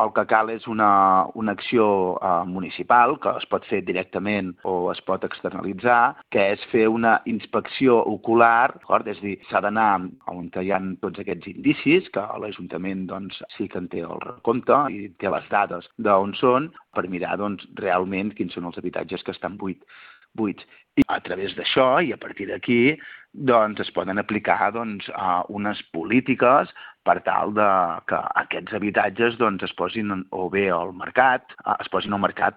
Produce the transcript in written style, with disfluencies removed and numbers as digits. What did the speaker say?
el que cal és una acció municipal, que es pot fer directament o es pot externalitzar, que és fer una inspecció ocular, d'acord? És a dir, s'ha d'anar on hi ha tots aquests indicis, que l'Ajuntament doncs, sí que en té el recompte i té les dades d'on són, per mirar doncs, realment quins són els habitatges que estan buits. I a través d'això, i a partir d'aquí, doncs, es poden aplicar doncs, unes polítiques per tal que aquests habitatges doncs, es posin o bé al mercat,